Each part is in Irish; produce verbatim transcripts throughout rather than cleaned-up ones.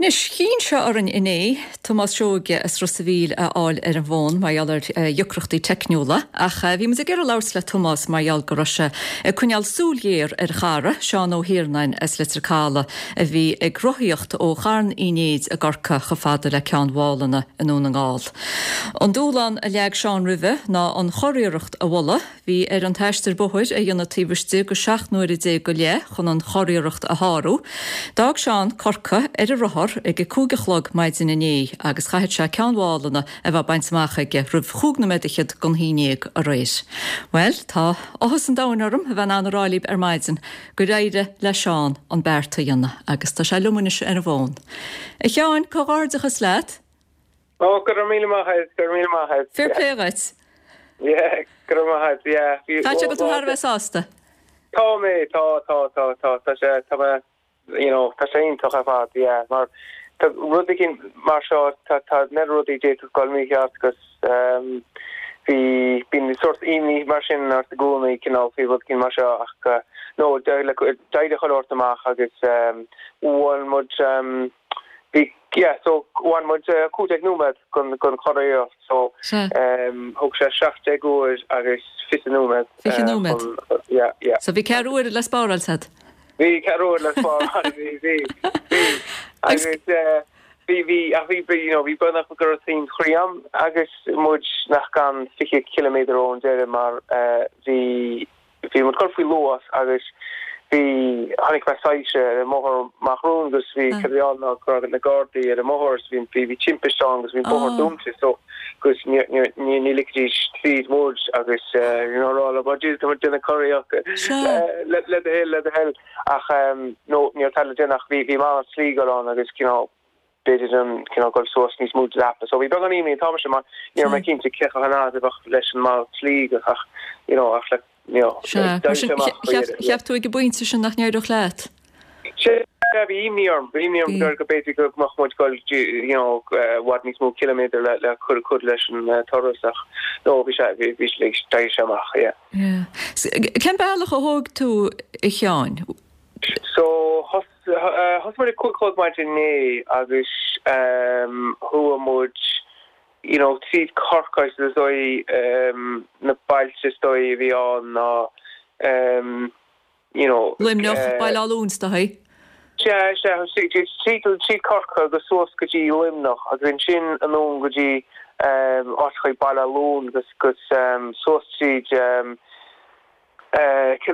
Anois, chinn sé orainn inné Tomás Seoige as Ros a' Mhíl a fháil ar an bhfón mar gheall ar dheacrachtaí teicniúla, ach bhí muid ag iarraidh labhairt le Tomás mar gheall go raibh sé ag coinneáil súil ghéar ar a chara, Seán Ó hIarnáin as Leitir Caladh, a bhí ag rothaíocht ó Charn Uí Néid i gCorcaigh chomh fada le Ceann Mhálanna i nDún na nGall. An dúshlán a leag Seán roimhe ná an churiarracht a bhualadh. Bhí air an t-aistear bóthair a dhéanamh taobh istigh de seacht n-uaire déag go leith chun an churiarracht a shárú. D'fhág Seán Corcaigh ar a rothar ag a cúig a chlog maidin inné agus chaithfeadh sé Ceann Mhálanna a bheith bainte amach aige roimh chúig nóiméad fhichead don haon déag aréir. Bhuel, tá áthas an domhain orm a bheith in ann a rá libh ar maidin gur éirigh le Seán an beart a dhéanamh agus tá sé liom anois ar an bhfón. A Sheáin, comhghairdeachas leat! Ó, go raibh míle maith agat, go raibh míle maith agat. Fair play dhuit. Yeah, go raibh maith agat, yeah. Tá sé go tú thar a bheith sásta? Tá mé, tá, tá, tá, tá, tá sé, tá mé, you know, tá sé iontach ar fad, yeah, mar tá rud éigin mar seo, tá tá na rudaí d'fhéadfadh dul mícheart agus um, bhí bíonn sórt imní mar sin ort i gcónaí cineál faoi rud éigin mar seo ach uh, no, d'éirigh chuile shórt amach agus um, bhuail muid um, bhí yeah, so bhain muid uh, cúig déag nóiméad den den churiarracht so um, thóg sé seacht déag uair agus fiche nóiméad. Fiche nóiméad. Uh, yeah, yeah. So bhí ceathrú uaire le spáráil agat? Bhí ceathrú uair le spáráil bhí bhí bhí agus uh, bhí bhí ach bhí bhí you know, bhí beagnach go raibh taom chroí orm agus muid nach gan fiche ciliméadar ón deireadh mar uh, bhí bhí muid cur faoi luas agus bhí tháinig mé soilse ar an mbóthar Mach Rún agus bhí cibé ná go raibh na Gardaí ar an mbóthar bhí bhí bhí timpiste ann agus bhí bóthar dúnta so agus ní ní ní ligfidís tríd muid agus you know rá le tá muid déanamh curiarracht le le do thoil le do thoil ach um, no níor tar le déanach bhí bhí malairt slí go ann agus you know b'fhéidir an cineál gul suas níos mó dreapa. So bhí beagán imní an t-am sin mar ní raibh mé cinnte cé chomh hard a bheadh leis an malairt slí ach you know ach le you know Cheap tú ag an bpointe sin nach n-éireodh leat? bhí imní orm bhí imní orm gur go b'fhéidir go mbeadh muid gul you know i bhfad níos mó ciliméadar le le cur cur leis an uh, turas ach no bhí sé bhí bhí sé d'éirigh sé amach yeah. Yeah. Cén bealach a thóg tú a Sheáin? So thosaigh muid ag cúig a chlog maidin inné agus um, chuaigh muid you know, tríd Corcaigh is dóigh um, na bailte is dóigh a bhí ann ná um, you know, Luimneach uh, Baile Átha Luain is dóigh? Se se tríd tríd Corcaigh agus suas go dtí Luimneach agus ansin anonn go dtí um, áit Baile Átha Luain agus gus um, suas tríd um, Oirthear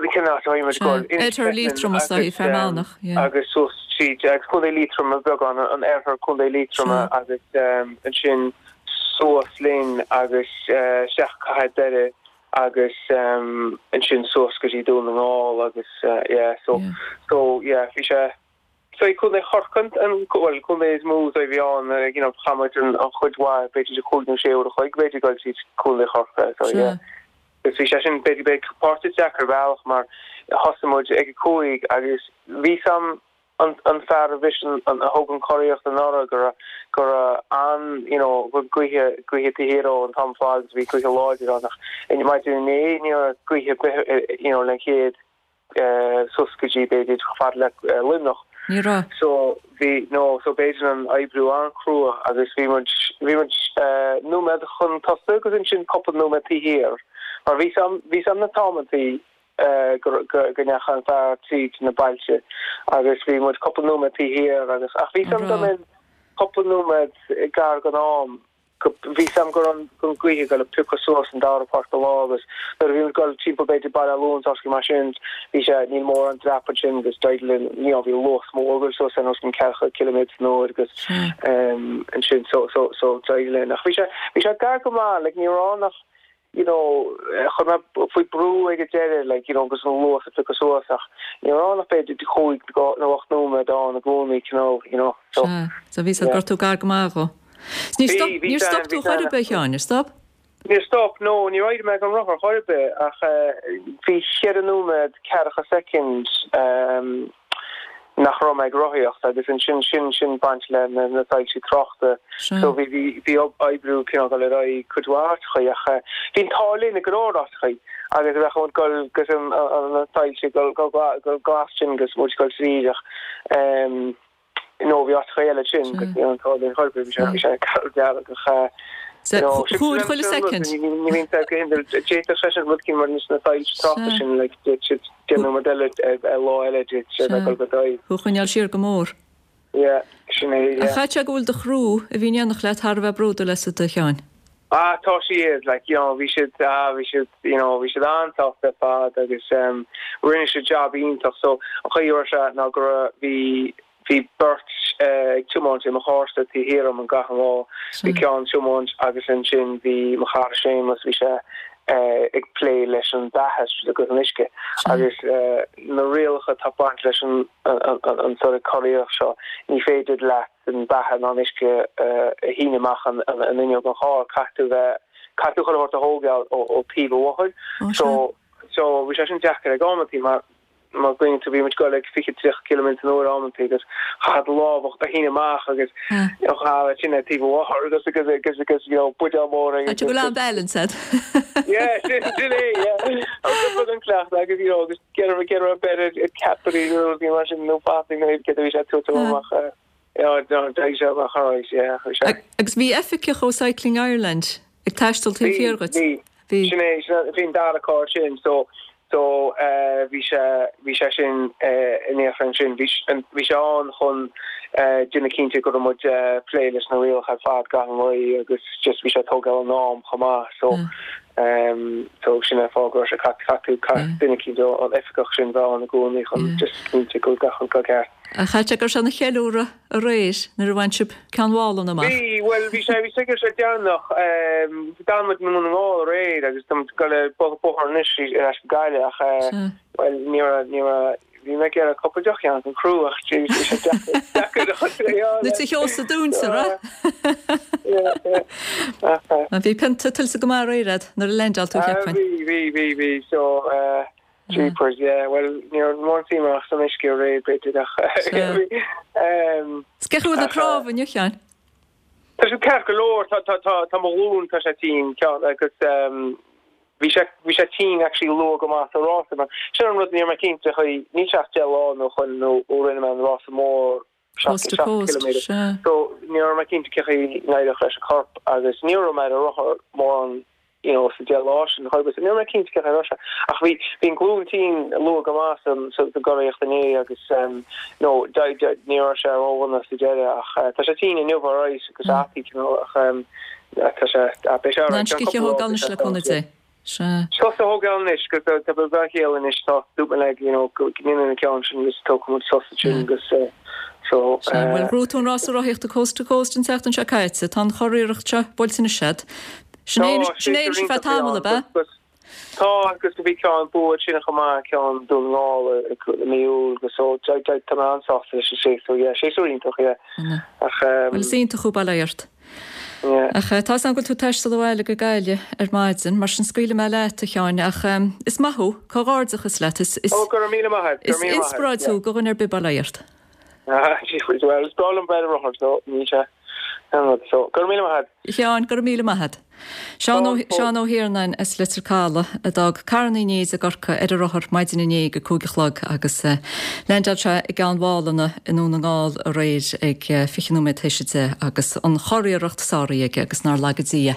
Liatroma is dóigh Fear Manach. agus suas tríd agus Contae Liatroma beagán an oirthear Contae Liatroma agus ansin suas linn agus isteach Cathair Doire agus ansin suas go dtí Dún na nGall agus yeah so so yeah bhí sé so Contae Chorcaí an bhfuil contae is mó so bhí an you know chaith muid an an chuid mhaith b'fhéidir cúig nó sé uair a chloig b'fhéidir go dtí Contae Chorcaí so yeah. Agus bhí sé sin b'fhéidir b'fhéidir páirt deacair bealach mar thosaigh muid ag a cúig agus bhí sam an an fear a bhí an a thóg an churiarracht anuraidh go go an you know go gaoithe gaoithe taobh an t-am fad bhí gaoithe láidir ann ach in maidin inné ní gaoithe you know le chéad suas go dtí b'fhéidir fad le Luimneach. Ní raibh. So bhí no so b'fhéidir an oibriú an-chrua agus bhí muid bhí muid nóiméad chun tosaigh agus ansin cúpla nóiméad taobh thiar. Mar bhí sam bhí sam na tamantaí go go ndeachaigh an fear tríd na bailte agus bhí muid cúpla nóiméad taobh thiar agus ach bhí sam dom cúpla nóiméad gar don am bhí sam go an gon gaoithe go le piocadh suas an dara páirt den lá agus nuair a bhí muid gul timpeall b'fhéidir Baile Átha Luain tá mar sin bhí sé níl mórán dreap ansin agus d'éirigh ní bhí luas mór gur suas an an ceathracha ciliméadar san uair agus ansin so so so d'éirigh ach bhí sé bhí sé gar go maith like ní raibh nach you know chuir mé faoi brú ag an deireadh like you know agus an luas a phiocadh suas ach ní raibh nach b'fhéidir chúig nó ocht nóiméad ann i gcónaí you you know so So bhí sé gur tú gar go maith dhó. Níor stop níor stop tú chor ar bith Sheáin, ar stop? Níor stop no níor éirigh mé den rothar chor ar bith ach bhí ceithre nóiméad ceathracha soicind um, nach raibh mé ag rothaíocht agus ansin sin sin baint le na na soilse tráchta so bhí bhí bhí oibriú cineál ar aghaidh cuid mhaith ach bhí an t-ádh linn go leor áiteacha agus bheadh an gul gus an an soilse go go go glas sin gus muid gul tríd ach um, you know bhí áit eile sin agus you know an t-ádh linn chor bhí sé bhí sé dearg ach Chuaigh chuile soicind. Ní bhíonn sé go hiondúil d'fhéadfadh sé sin rud cinn mar na soilse tráchta sin like d'fhéadfadh siad déanamh rud eile lá eile d'fhéadfadh sé bheith ag dul go dóigh. Thú a choinneáil siar go mór. Yeah, sin é, yeah. Ach caithfidh sé go bhfuil do chriú a bhí in éineacht leat thar a bheith bródúil asat a Sheáin. Ah, tá siad, like, you know, bhí siad, ah, bhí siad, you know, bhí siad an-sásta ar fad agus um, rinne siad job iontach, so an chaoi a raibh sé ná go raibh, bhí, bhí beirt ag tiomáint i mo charrsa taobh thiar dhom an gach aon lá. Bhí ceann tiomáint agus ansin bhí mo chara Séamus, bhí sé ag plé leis an beatha agus an uisce agus na rialacha atá baint leis an an sort of curiarracht seo, ní féidir leat an beatha ná an uisce a shíneadh amach an fhuinneog an chairr, caithfidh tú bheith, caithfidh tú chuile shórt a thógáil ó taobh an bhóthair. So, so bhí sé sin deacair ag amantaí mar má gcuimhníonn tú bhí muid ag dul ag fiche tríocha ciliméadar an uair amantaí agus chaithfeá do lámh a shíneadh amach agus you know chaithfeá sin ar taobh an bhóthair agus agus agus agus you know buidéal mór agus go lean balance ed. Yeah sin sin é yeah agus rud an cleacht agus you know agus get her get her better at Cadbury nó rudaí mar sin nó fataí nó céard a bhí sé ag tabhairt amach you know d'éirigh sé amach alright yeah bhí sé. Agus bhí oifigeach ó Cycling Ireland ag taisteal taobh thiar dhuit. Bhí bhí. Sin é sin bhí an dara carr sin so so bhí sé bhí sé sin in éadan ansin bhí bhí sé ann chun déanamh cinnte go raibh muid plé leis na rialacha ar fad gach aon lá agus just bhí sé ag tógáil an am chomh maith so so sin an fáth go raibh sé caithfidh caithfidh caithfidh duine eicínt an oifigeach sin bheith ann i gcónaí chun just cinnte go bhfuil gach rud go ceart. Ach caithfidh sé go raibh sé ina cheiliúradh aréir nuair a bhain sibh Ceann Mhálanna amach. Bhí, bhuel bhí sé, bhí sé go sé déanach, d'fhan muid i nDún na nGall aréir agus tá muid ag dul ar bóthar anois ar ais go Gaillimh ach bhuel ní raibh, ní raibh, bhí mé ag iarraidh cúpla deoch a dhéanamh don chriú ach bhí sé deacair, deacair a chur Nuair a sheosamh dúinse, ra? Yeah, yeah. Ach. Bhí pionta tuillte go maith aréir a'd nuair a leaindeáil tú cheapfainn. Bhí, bhí, bhí, bhí, so Jeepers, yeah, bhuel, ní raibh mórán suim ach san uisce aréir, b'fhéidir, ach bhí, ehm. Is cén chaoi a bhfuil na cnámha inniu, a Sheáin? Tá siad ceart go leor, tá, tá, tá, tá mo ghlúin, tá sé tinn, ceann, agus ehm, bhí sé, bhí sé tinn actually luath go maith sa rása, mar sin an rud, ní raibh mé cinnte chaoi, níl sé ach deich lá nó chun nó ó rinne mé an rása mór Coast to seacht coast, ciliméadar. sea. So ní raibh mé cinnte cén chaoi a n-éireodh leis an chorp agus ní raibh mé ar an rothar mórán you know sa deich lá sin chor ar bith so ní raibh mé cinnte cén chaoi a raibh sé ach bhí bhí an glúin tinn luath go maith sa sa sa gcuraíocht inné agus um no ní raibh sé ródhona sa deireadh ach uh, tá sé tinn inniu alright agus ataí you know ach um tá sé ah, beidh sé Ná alright an ceann scíth a cúpla lá thógáil beidh anois sé le cúnamh Dé. Sea. Sos a thógáil anois agus tá tá ba chéile anois tá dúirt mé like you know go ndéanfaidh an ceann sin agus tógfaidh muid sos ansin agus uh, so Sea, bhuel uh, bhuaigh tú an rása rothaíochta Coast to Coast an tseachtain seo caite, tá an churiarracht seo buailte anois a'd. Sin é Tá sin é séasúr anois ar feadh iontach a bhí tamaill ann ab ea? agus tá agus bhí ceann bua sin chomh maith ceann Dún na nGall i mí Iúil agus so tá mé an-sásta leis an séasúr yeah séasúr iontach yeah ach Bhuel um, is iontach thú bail ó Dhia ort. yeah. Ach tá 's agam go bhfuil tú ag taisteal abhaile go Gaillimh ar maidin, mar sin scaoilfidh mé leat a Sheáin ach um, is maith thú, comhghairdeachas leat, is is Ó go raibh míle maith agat, go is raibh míle maith agat, inspioráid yeah. thú do dhuine ar bith bail ó Dhia ort. Ah, well, is breá liom bheith ar rothar so níl sé an rud so go raibh míle maith agat. Sheáin, go raibh míle maith agat. Seán Ó Seán Ó hIarnáin as Leitir Caladh a d'fhág Carn Uí Néid i gCorcaigh ar a rothar maidin inné ag cúig a chlog agus uh, leaindeáil sé i gCeann Mhálanna i nDún na nGall aréir ag uh, fiche nóiméad théis a deich agus an churiarracht sáraithe aige agus nár laga Dia.